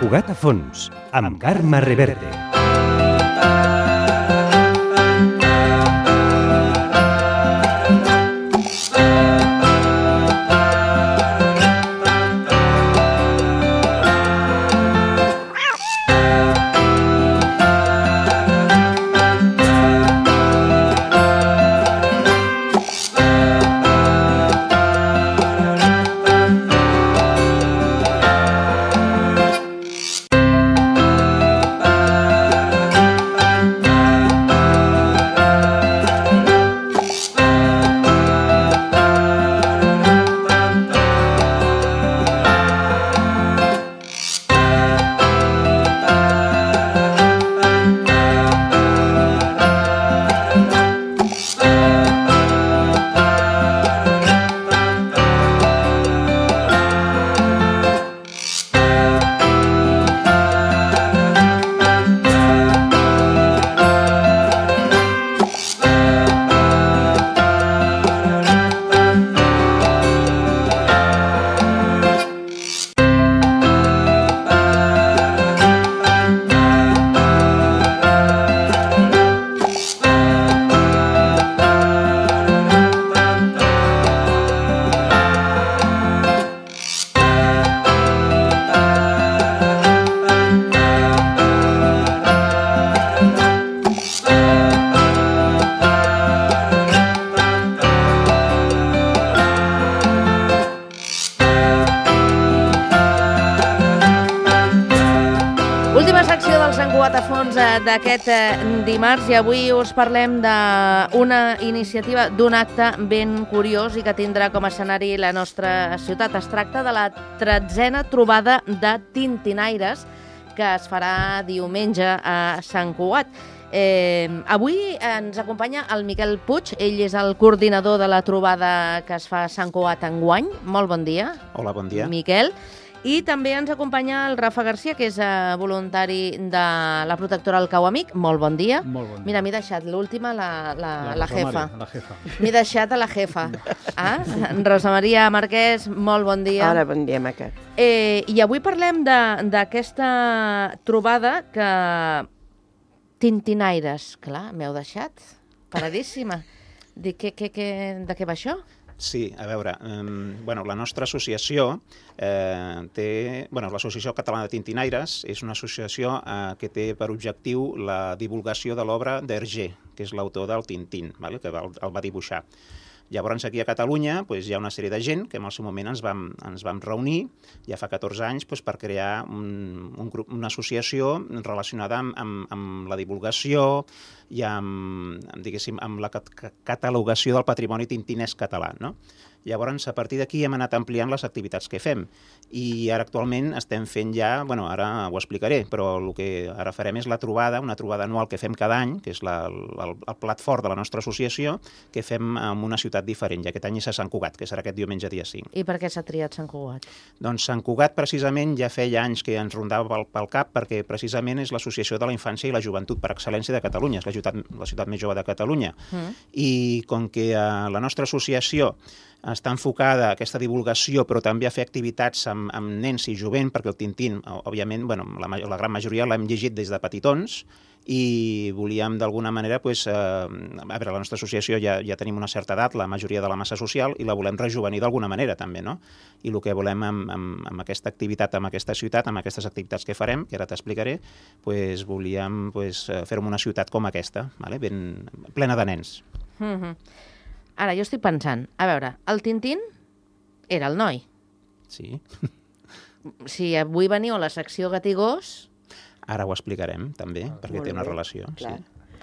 Cugat a fons, amb Carme Reverte. D'aquest dimarts, i avui us parlem d'una iniciativa, d'un acte ben curiós i que tindrà com a escenari la nostra ciutat. Es tracta de la 13a trobada de tintinaires que es farà diumenge a Sant Cugat. Avui ens acompanya el Miquel Puig, ell és el coordinador de la trobada que es fa a Sant Cugat enguany. Molt bon dia. Hola, bon dia. Miquel. I també ens acompanya el Rafa Garcia, que és voluntari de la protectora El Cau Amic. Molt bon dia. Molt bon dia. Mira, m'he deixat l'última, la jefa. La jefa. M'he deixat a la jefa. Rosa Maria Marquès, molt bon dia. Hola, bon dia, maca. I avui parlem d'aquesta trobada que... Tintinaires, clar, m'heu deixat paradíssima. De què va això? Sí, a veure, la nostra associació l'Associació Catalana de Tintinaires és una associació que té per objectiu la divulgació de l'obra d'Hergé, que és l'autor del Tintín, que el va dibuixar. Llavors, aquí a Catalunya hi ha una sèrie de gent que en el seu moment ens vam reunir, ja fa 14 anys, per crear una associació relacionada amb la divulgació i amb la catalogació del patrimoni tintinesc català, no? Llavors, a partir d'aquí hem anat ampliant les activitats que fem i ara actualment estem fent ja, ara ho explicaré, però el que ara farem és una trobada anual que fem cada any, que és el plat fort de la nostra associació, que fem en una ciutat diferent, i aquest any és a Sant Cugat, que serà aquest diumenge dia 5. I per què s'ha triat Sant Cugat? Doncs Sant Cugat precisament ja feia anys que ens rondava pel cap, perquè precisament és l'associació de la infància i la joventut per excel·lència de Catalunya, és la ciutat més jove de Catalunya. I com que la nostra associació està enfocada a aquesta divulgació, però també a fer activitats amb nens i jovent, perquè el Tintín, òbviament, la gran majoria l'hem llegit des de petitons, i volíem d'alguna manera, la nostra associació ja tenim una certa edat, la majoria de la massa social, i la volem rejuvenir d'alguna manera també, no? I el que volem amb aquesta activitat, amb aquesta ciutat, amb aquestes activitats que farem, que ara t'explicaré, volíem fer-ho en una ciutat com aquesta, ben plena de nens. Ara, jo estic pensant, a veure, el Tintín era el noi. Sí. Si avui veniu a la secció gat i gos... Ara ho explicarem, també, perquè té una relació. Sí.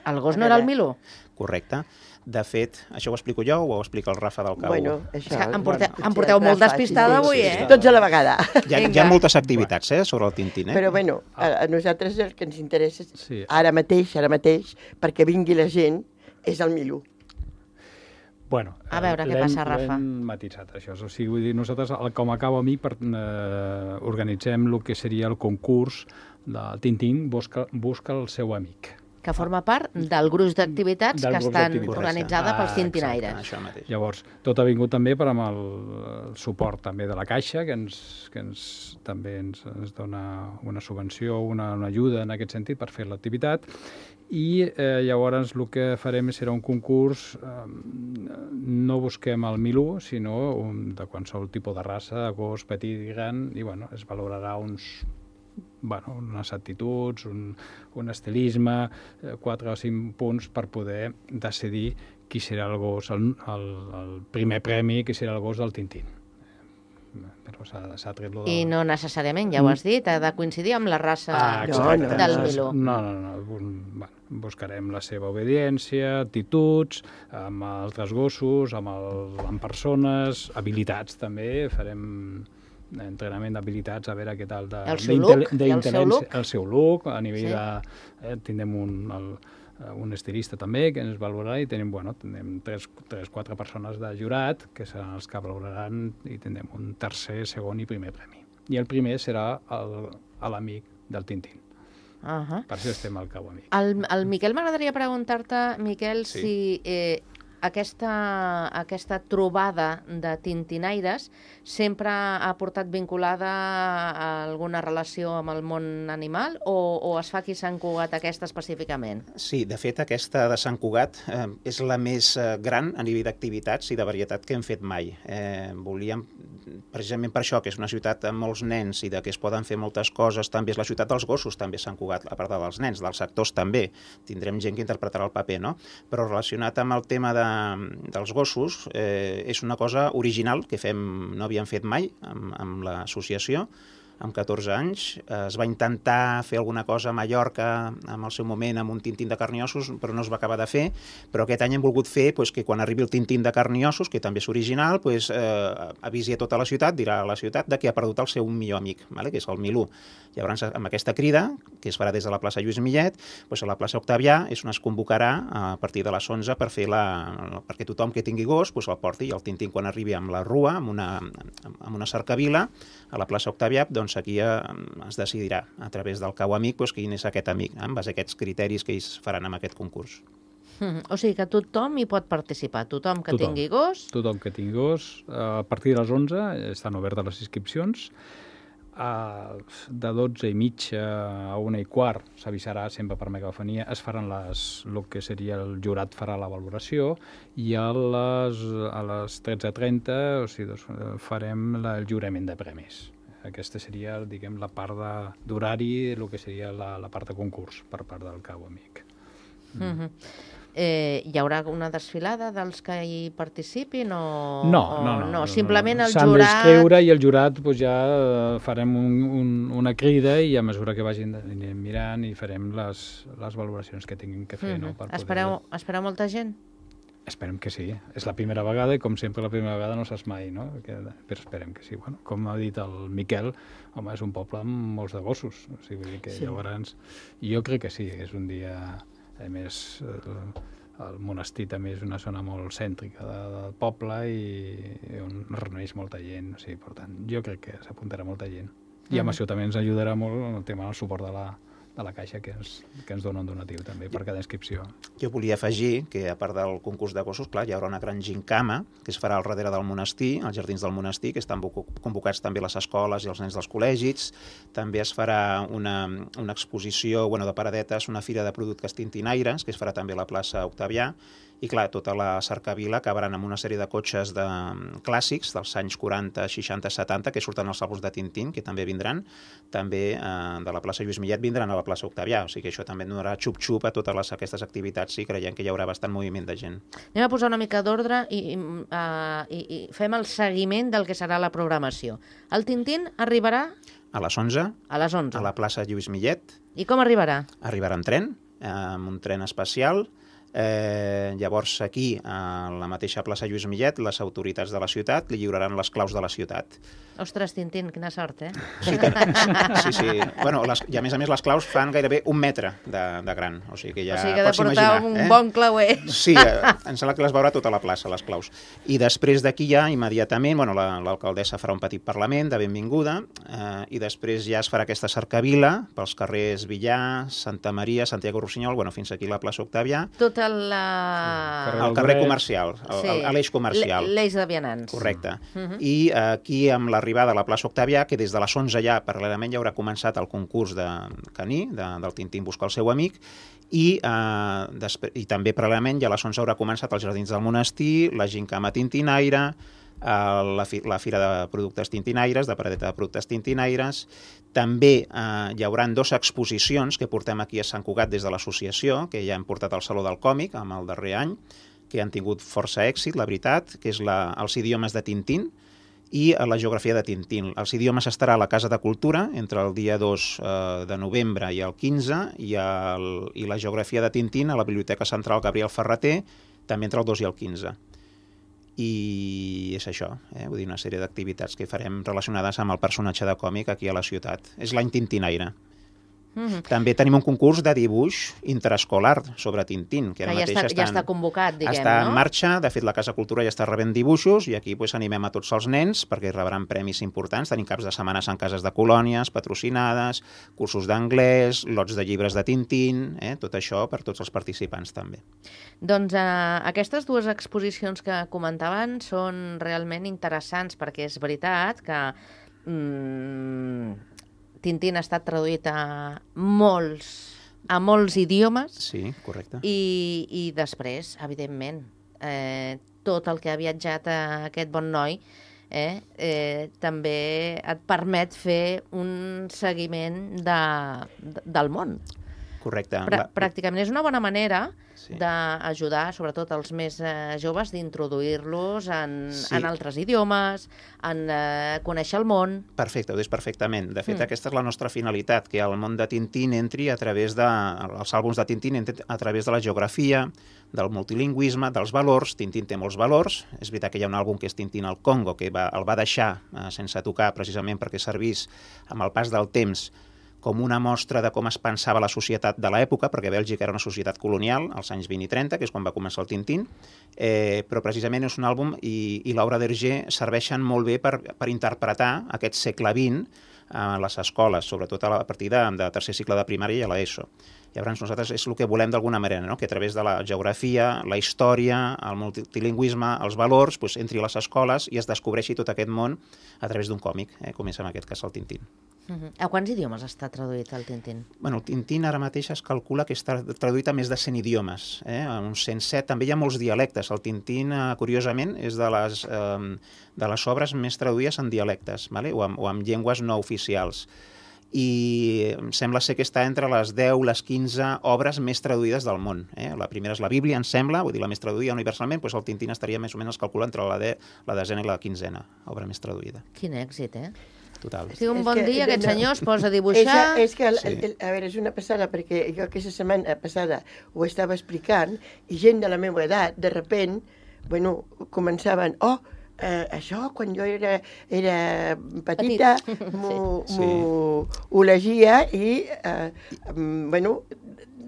El gos no era el Milú? Correcte. De fet, això ho explico jo o ho explica el Rafa del Cau? Bueno, això... Em porteu molt despistada avui, eh? Tots a la vegada. Hi ha moltes activitats, sobre el Tintín, eh? Però, a nosaltres el que ens interessa ara mateix, perquè vingui la gent, és el Milú. Bueno, a veure què passa, Rafa. L'hem matisat, això. O sigui, vull dir, nosaltres, com a Cau Amic, organitzem el que seria el concurs del Tintín busca el seu amic. que forma part del gruix d'activitats que estan organitzades pels tintinaires. Això mateix. Llavors, tot ha vingut també per amb el suport també de la Caixa, que també ens dona una subvenció, una ajuda en aquest sentit per fer l'activitat, i llavors el que farem serà un concurs, no busquem el Milú, sinó de qualsevol tipus de raça, de gos, petit i gran, i bueno, es valorarà unes actituds, un estilisme, 4 o 5 punts per poder decidir qui serà el gos, el primer premi, qui serà el gos del Tintín. Però s'ha tret lo de... I no necessàriament, ja ho has dit, ha de coincidir amb la raça del Milú. No. Bueno, buscarem la seva obediència, actituds, amb altres gossos, amb persones, habilitats també, farem entrenament d'habilitats, a veure què tal el seu look, a nivell de... Tindrem un estilista també que ens valorarà i tenim 3-4 persones de jurat que seran els que valoraran i tindrem un tercer, segon i primer premi. I el primer serà l'amic del Tintín. Per això estem al Cau Amic. El Miquel, m'agradaria preguntar-te, Miquel, si aquesta trobada de tintinaires sempre ha portat vinculada a alguna relació amb el món animal o es fa aquí a Sant Cugat aquesta específicament? Sí, de fet aquesta de Sant Cugat és la més gran a nivell d'activitats i de varietat que hem fet mai. Volíem, precisament per això, que és una ciutat amb molts nens i que es poden fer moltes coses, també és la ciutat dels gossos, també Sant Cugat, a part dels nens, dels sectors també. Tindrem gent que interpretarà el paper, no? Però relacionat amb el tema dels gossos, és una cosa original que no havíem fet mai amb l'associació. Amb 14 anys es va intentar fer alguna cosa a Mallorca en el seu moment amb un Tintín de carn i ossos, però no es va acabar de fer, però aquest any hem volgut fer que quan arribi el Tintín de carn i ossos, que també és original, avisi a tota la ciutat, dirà a la ciutat que ha perdut el seu millor amic, que és el Milú. Llavors, amb aquesta crida, que es farà des de la plaça Lluís Millet, a la plaça Octavià és on es convocarà a partir de les 11 per fer perquè tothom que tingui gos el porti, i el Tintín quan arribi amb la rua, amb una cercavila, a la plaça Octavià, doncs aquí es decidirà a través del Cau Amic quin és aquest amic, en base a aquests criteris que ells faran amb aquest concurs. O sigui que tothom hi pot participar, tothom que tingui gos. Tothom que tingui gos. A partir de les 11 estan obertes les inscripcions. De 12:30 a 1:15 s'avisarà sempre per megafonia, es faran el que seria el jurat farà la valoració i a les 13:30 farem el jurament de premis. Aquesta seria, diguem, la part d'horari, el que seria la part de concurs per part del Cau Amic. Hi haurà una desfilada dels que hi participin o... No. Simplement el jurat... S'han d'inscriure i el jurat ja farem una crida i a mesura que vagin mirant i farem les valoracions que tinguin que fer. Espereu molta gent? Esperem que sí. És la primera vegada i, com sempre, la primera vegada no saps mai, no? Però esperem que sí. Bueno, com ha dit el Miquel, home, és un poble amb molts de gossos. O sigui que llavors... Jo crec que sí, és un dia... A més, el monestir també és una zona molt cèntrica del poble i on reuneix molta gent. O sigui, per tant, jo crec que s'apuntarà molta gent. I amb això també ens ajudarà molt el tema del suport de la Caixa que ens dona un donatiu també per cada inscripció. Jo volia afegir que a part del concurs de gossos, clar, hi haurà una gran gincama que es farà al darrere del monestir, als jardins del monestir, que estan convocats també les escoles i els nens dels col·legis. També es farà una exposició de paradetes, una fira de productes tintinaires, que es farà també a la plaça Octavià. I clar, tota la cercavila acabaran amb una sèrie de cotxes clàssics dels anys 40, 60, 70, que surten als àlbums de Tintín, que també vindran. També de la plaça Lluís Millet vindran a la plaça Octavià. O sigui que això també donarà xup-xup a totes aquestes activitats i creiem que hi haurà bastant moviment de gent. Anem a posar una mica d'ordre i fem el seguiment del que serà la programació. El Tintín arribarà... A les 11. A les 11. A la plaça Lluís Millet. I com arribarà? Arribarà en tren, amb un tren especial. Llavors, aquí, a la mateixa plaça Lluís Millet, les autoritats de la ciutat li lliuraran les claus de la ciutat. Ostres, Tintín, quina sort, Sí. Bueno, i a més les claus fan gairebé 1 metre de gran. O sigui que ja que ha de pots portar imaginar. un bon clauer. Sí, em sembla que les veurà tota la plaça, les claus. I després d'aquí ja, immediatament, l'alcaldessa farà un petit parlament de benvinguda i després ja es farà aquesta cercavila pels carrers Villar, Santa Maria, Santiago Rossinyol, fins aquí la plaça Octavià. Tot el carrer comercial, a l'eix comercial. L'eix de vianants. Correcte. I aquí, amb l'arribada a la plaça Octavià, que des de les 11 ja, paral·lelament, ja haurà començat el concurs de caní, del Tintín busca el seu amic, i també paral·lelament ja a les 11 haurà començat els Jardins del Monestir, la Gincama Tintinaire, la Fira de Productes Tintinaires, de Paradeta de Productes Tintinaires. També hi haurà 2 exposicions que portem aquí a Sant Cugat des de l'associació, que ja hem portat al Saló del Còmic amb el darrer any, que han tingut força èxit, la veritat, que és els idiomes de Tintín i la geografia de Tintín. Els idiomes estarà a la Casa de Cultura entre el dia 2 de novembre i el 15 i la geografia de Tintín a la Biblioteca Central Gabriel Ferrater també entre el 2 i el 15. I és això, vull dir, una sèrie d'activitats que farem relacionades amb el personatge de còmic aquí a la ciutat. És l'any Tintinaire. També tenim un concurs de dibuix interescolar sobre Tintín, que ara mateix ja està convocat, diguem, està en marxa. De fet, la Casa Cultura ja està rebent dibuixos i aquí animem a tots els nens perquè rebran premis importants. Tenim caps de setmanes en cases de colònies patrocinades, cursos d'anglès, lots de llibres de Tintín, tot això per tots els participants també. Doncs aquestes 2 exposicions que comentaven són realment interessants perquè és veritat que Tintín ha estat traduït a molts idiomes. Sí, correcte. I després, evidentment, tot el que ha viatjat aquest bon noi també et permet fer un seguiment del món. Correcte. Pràcticament és una bona manera d'ajudar, sobretot els més joves, d'introduir-los en altres idiomes, en conèixer el món. Perfecte, ho dius perfectament. De fet, aquesta és la nostra finalitat, que el món de Tintín entri a través els àlbums de Tintín a través de la geografia, del multilingüisme, dels valors. Tintín té molts valors. És veritat que hi ha un àlbum que és Tintín al Congo, que el va deixar sense tocar precisament perquè servís amb el pas del temps com una mostra de com es pensava la societat de l'època, perquè Bèlgica era una societat colonial als anys 20 i 30, que és quan va començar el Tintín, però precisament és un àlbum i l'obra d'Hergé serveixen molt bé per interpretar aquest segle XX a les escoles, sobretot a partir de tercer cicle de primària i a l'ESO. Llavors nosaltres és el que volem d'alguna manera, que a través de la geografia, la història, el multilingüisme, els valors, entri a les escoles i es descobreixi tot aquest món a través d'un còmic, com és en aquest cas el Tintín. A quants idiomes està traduït el Tintín? El Tintín ara mateix es calcula que està traduït a més de 100 idiomes, uns 107. També hi ha molts dialectes. El Tintín, curiosament, és de les obres més traduïdes en dialectes, o amb llengües no oficials. I sembla ser que està entre les 10, les 15 obres més traduïdes del món. La primera és la Bíblia, em sembla, vull dir, la més traduïda universalment, doncs el Tintín estaria més o menys calculant entre la desena i la quinzena obra més traduïda. Quin èxit, Total. Si un bon dia aquest senyor es posa a dibuixar... És que, a veure, és una passada, perquè jo aquesta setmana passada ho estava explicant i gent de la meva edat, de repent, començaven, això, quan jo era petita, m'ho llegia i,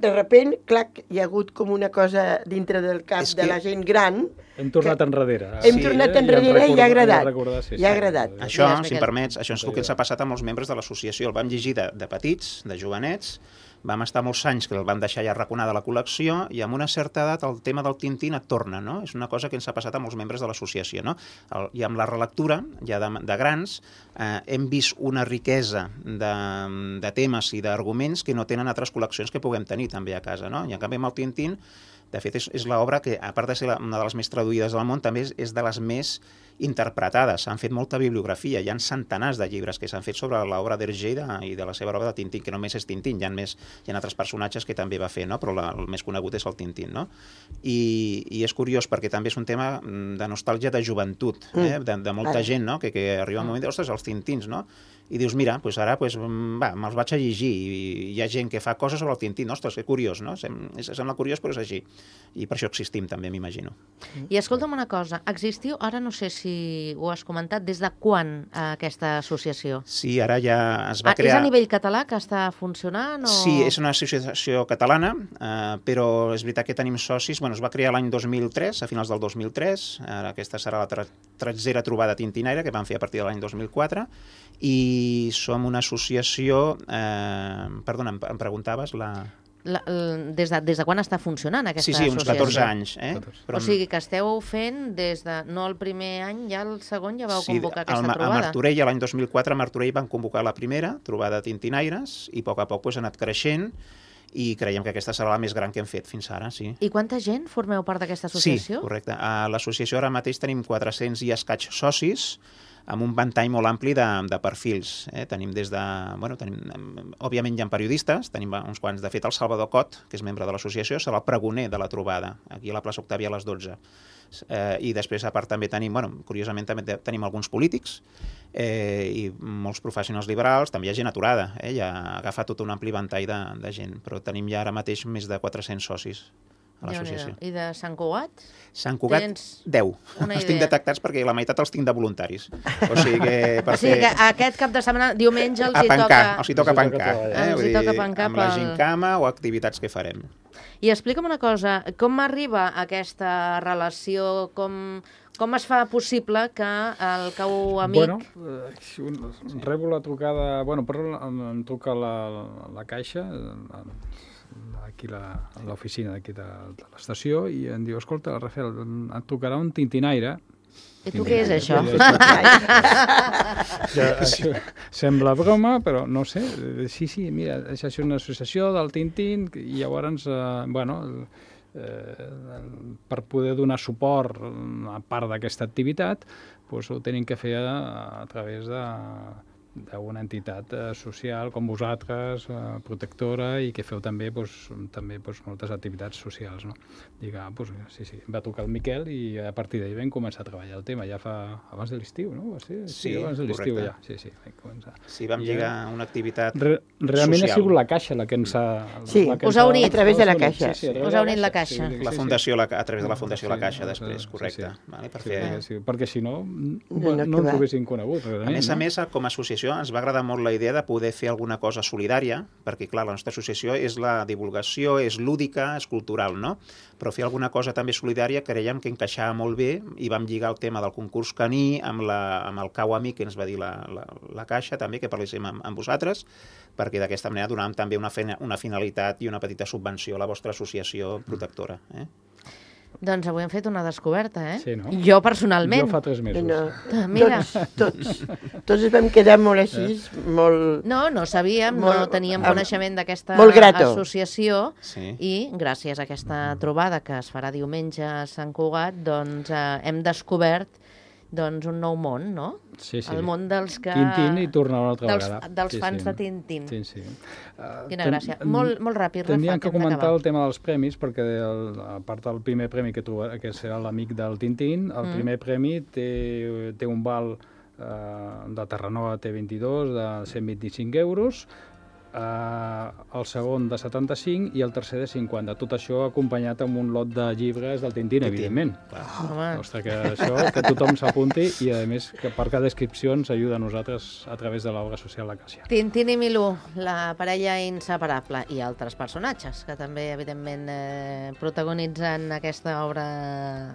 de repent, clar, hi ha hagut com una cosa dintre del cap de la gent gran. Hem tornat enrere. Hem tornat enrere i ha agradat. Ja ha agradat. Això, si em permets, això és el que ens ha passat amb els membres de l'associació. El vam llegir de petits, de jovenets, vam estar molts anys que el van deixar ja arraconada a la col·lecció i amb una certa edat el tema del Tintín et torna, no? És una cosa que ens ha passat amb els membres de l'associació, no? I amb la relectura, ja de grans, hem vist una riquesa de temes i d'arguments que no tenen altres col·leccions que puguem tenir també a casa, no? I en canvi amb el Tintín, de fet, és l'obra que, a part de ser una de les més traduïdes del món, també és de les més interpretades. S'han fet molta bibliografia, hi ha centenars de llibres que s'han fet sobre l'obra d'Hergé i de la seva obra de Tintín, que no només és Tintín, hi ha altres personatges que també va fer, no? Però el més conegut és el Tintín, no? I és curiós perquè també és un tema de nostàlgia de joventut, de molta gent, no? Que arriba un moment de, ostres, els Tintins, no? i dius, mira, doncs ara me'ls vaig a llegir, i hi ha gent que fa coses sobre el Tintín. Ostres, que curiós, no? Sembla curiós, però és així. I per això existim també, m'imagino. I escolta'm una cosa, existiu, ara no sé si ho has comentat, des de quan aquesta associació? Sí, ara ja es va crear... És a nivell català que està funcionant? O... Sí, és una associació catalana, però és veritat que tenim socis. Bueno, es va crear l'any 2003, a finals del 2003. Ara aquesta serà la tretzera trobada tintinaire que vam fer a partir de l'any 2004. I som una associació... Perdona, em preguntaves la... Des de quan està funcionant aquesta associació? Sí, uns 14 anys. Però... O sigui que esteu fent des de... No el primer any, ja el segon ja vau convocar aquesta trobada? A Martorell, l'any 2004, a Martorell van convocar la primera trobada de tintinaires i a poc a poc ha anat creixent i creiem que aquesta serà la més gran que hem fet fins ara, sí. I quanta gent formeu part d'aquesta associació? Sí, correcte. A l'associació ara mateix tenim 400 i escaig socis, amb un ventall molt ampli de perfils. Tenim des de... Bueno, òbviament hi ha periodistes, tenim uns quants. De fet, el Salvador Cot, que és membre de l'associació, serà el pregoner de la trobada, aquí a la plaça Octàvia a les 12. I després, a part, també tenim, curiosament, també tenim alguns polítics i molts professionals liberals, també hi ha gent aturada, ja ha agafat tot un ampli ventall de gent, però tenim ja ara mateix més de 400 socis a l'associació. I de Sant Cugat? Sant Cugat, 10. Els tinc detectats perquè la meitat els tinc de voluntaris. O sigui que per fer... que aquest cap de setmana, diumenge, els hi toca pencar. Els hi toca pencar amb la gincama o activitats que farem. I explica'm una cosa, com arriba aquesta relació, com es fa possible que el cau amic... Rebo la trucada... em truca la Caixa, aquí a l'oficina d'aquí de l'estació, i em diu, escolta, Rafael, et tocarà un tintinaire. I tu què és això? Sembla broma, però no sé. Sí, mira, això és una associació del Tintín, i llavors, per poder donar suport a part d'aquesta activitat, ho tenim que fer a través d'una entitat social com vosaltres, protectora, i que feu també moltes activitats socials, no? Sí, va trucar el Miquel i a partir d'ahir vam començar a treballar el tema, ja fa abans de l'estiu, no? Sí, abans de l'estiu ja. Sí, vam lligar una activitat realment social. Ha sigut la Caixa la que ens ha... Sí, us ha unit a través de la Caixa. Us ha unit la Caixa. La Fundació, a través de la Fundació La Caixa, després, correcte. Perquè si no ens ho haguessin conegut. A més, com a associació ens va agradar molt la idea de poder fer alguna cosa solidària, perquè, clar, la nostra associació és la divulgació, és lúdica, és cultural, no? Però fer alguna cosa també solidària creiem que encaixava molt bé i vam lligar el tema del concurs caní amb el cau amic que ens va dir la Caixa, també, que parléssim amb vosaltres, perquè d'aquesta manera donàvem també una finalitat i una petita subvenció a la vostra associació protectora. Doncs avui hem fet una descoberta, Sí, no? Jo personalment. Jo fa 3 mesos. Mira. Tots ens vam quedar molt així, molt... No sabíem, no teníem coneixement d'aquesta associació i gràcies a aquesta trobada que es farà diumenge a Sant Cugat, doncs hem descobert un nou món, no? Sí. El món dels que... Tintín i tornar una altra vegada. Dels fans de Tintín. Sí. Quina gràcia. Molt ràpid, Rafa. Tendríem que comentar el tema dels premis, perquè a part del primer premi que serà l'amic del Tintín, el primer premi té un val de Terranova T22 de 125 euros, el segon de 75 i el tercer de 50. Tot això acompanyat amb un lot de llibres del Tintín, evidentment. Ostres, que tothom s'apunti i, a més, que per cada descripció ens ajuda a nosaltres a través de l'obra social La Caixa. Tintín i Milú, la parella inseparable, i altres personatges que també, evidentment, protagonitzen aquesta obra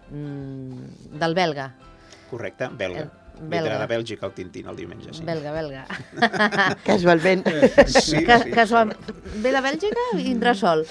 del belga. Correcte, belga. Vindrà de Bèlgica el Tintín el diumenge, sí. Belga. Casualment. Sí. Ve de Bèlgica i vindrà sol.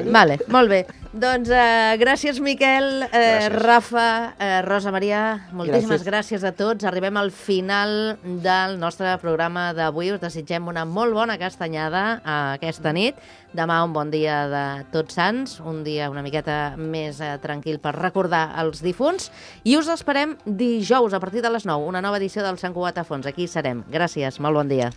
Vale, molt bé. Doncs gràcies, Miquel, Rafa, Rosa Maria, moltíssimes gràcies a tots. Arribem al final del nostre programa d'avui. Us desitgem una molt bona castanyada aquesta nit. Demà un bon dia de Tots Sants, un dia una miqueta més tranquil per recordar els difunts. I us esperem dijous a partir de les 9, una nova edició del Sant Cugat a Fons. Aquí serem. Gràcies, molt bon dia.